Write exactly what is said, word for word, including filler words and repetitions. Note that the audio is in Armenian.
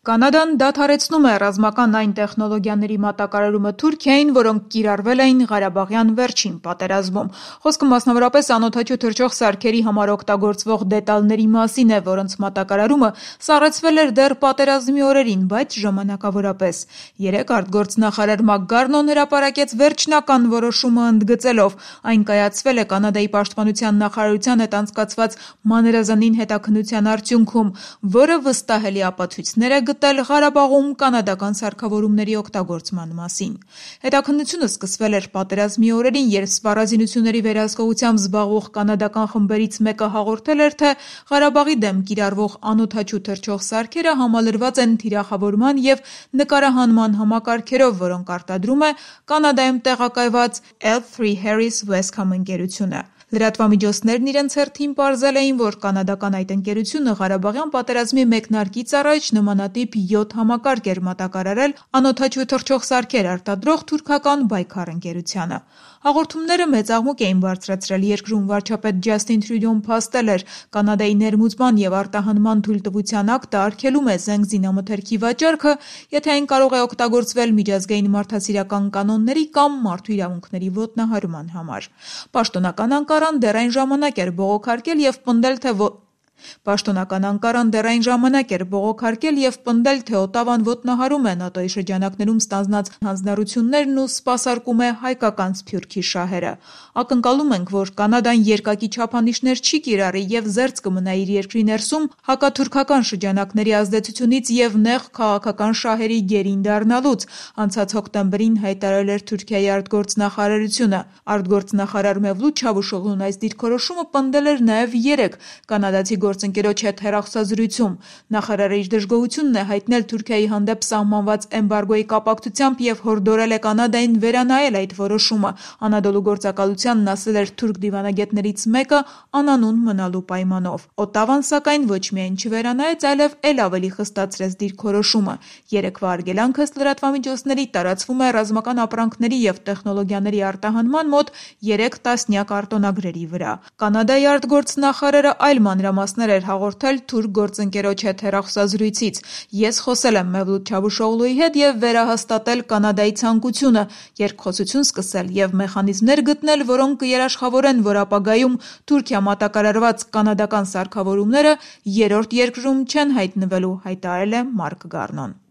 Կանադան դադարեցնում է ռազմական այն տեխնոլոգիաների մատակարարումը Թուրքիային, որոնք կիրառվել էին Ղարաբաղյան վերջին պատերազմում։ Խոսքը մասնավորապես անօդաչու թռչող սարքերի համար օգտագործվող դետալների մասին է, որոնց մատակարարումը սառեցվել էր դեռ պատերազմի օրերին, բայց ժամանակավորապես։ Երեկ արտգործնախարար Մակգարնոն հրապարակեց վերջնական որոշումը ընդգծելով. այն կայացվել է Կանադայի պաշտպանության նախարարության հետ անցկացված մանրազանին հետաքննության արդյունքում, որը վստահելի ապացույցներ է գտել Ղարաբաղում կանադական սարքավորումների օգտագործման մասին։ Հետաքննությունը սկսվել էր պատերազմի օրերին, երբ սպառազինությունների վերահսկողությամբ զբաղվող կանադական խմբերից մեկը հաղորդել էր, թե Ղարաբաղի դեմ կիրառվող անօդաչու թռչող սարքերը համալրված են թիրախավորման և նկարահանման համակարգերով, որոնք արտադրում է Կանադայում տեղակայված L թրի Harris Westcom ընկերությունը։ Լրատվամիջոցներն իրենց հերթին պարզել էին, որ կանադական այդ ընկերությունը Ղարաբաղյան պատերազմի մեկնարկից առաջ նմանատիպ յոթ համակարգ էր մատակարարել անօդաչու թռչող սարքեր արտադրող թուրքական Բայքար ընկերությանը։ Հաղորդումները մեծ աղմուկ էին բարձրացրել երկրում։ Վարչապետ Ջասթին Թրյուդոն փաստել էր. Կանադայի ներմուծման և արտահանման թույլտվության ակտը արգելում է զենք զինամթերքի վաճառքը, եթե այն կարող է օգտագործվել միջազգային մարդասիրական կանոնների կամ մարդու իրավունքների ոտնահարման համար։ Պաշտոնական Անկարան դեռ այն ժամանակ էր բողոքարկել և պնդել, թե Պաշտոնական Անկարան դեռ այն ժամանակ էր բողոքարկել և պնդել, թե Օտավան ոտնահարում է ՆԱՏՕ-ի շրջանակներում ստանձնած հանձնառություններն ու սպասարկում է հայկական Սփյուռքի շահերը։ Ակնկալում ենք, որ Կանադան երկակի չափանիշներ չի կիրառի և զերծ կմնա իր երկրի ներսում հակաթուրքական շրջանակների ազդեցությունից և նեղ քաղաքական շահերի գերին դառնալուց, անցած հոկտեմբերին հայտարարել էր Թուրքիայի արտգործնախարարությունը։ Արտգործնախարար Մևլութ Չավուշօղլուն այս դիրքորոշումը պնդել էր նաև երեկ կանադացի գործընկերոջ հետ հեռախոսազրույցում։ Նախարարը իր դժգոհությունն է հայտնել Թուրքիայի հանդեպ սահմանված էմբարգոյի կապակցությամբ և հորդորել է Կանադային վերանայել այդ որոշումը։ Անադոլու գործակալությանն ասել էր թուրք դիվանագետներից մեկը անանուն մնալու պայմանով։ Օտավան, սակայն, ոչ միայն չվերանայեց, այլև էլ ավելի խստացրեց դիրքորոշումը։ Երեկվա արգելանքը, ըստ լրատվամիջոցների, տարածվում է ռազմական ապրանքների և տեխնոլոգիաների արտահանման մոտ երեք տասնյակ արտոնագրերի վրա։ Կանադայի արտգործնախարարը այլ մանրամասներ էր հաղորդել թուրք գործընկերոջ հետ հեռախոսազրույցից. Ես խոսել եմ Մևլութ Չավուշօղլուի հետ և վերահաստատել Կանադայի ցանկությունը երկխոսություն սկսել և մեխանիզմներ գտնել, որոնք կերաշխավորեն, որ ապագայում Թուրքիա մատակարարված կանադական սարքավորումները երրորդ երկրում չեն հայտնվելու, հայտարարել է Մարկգարնոն։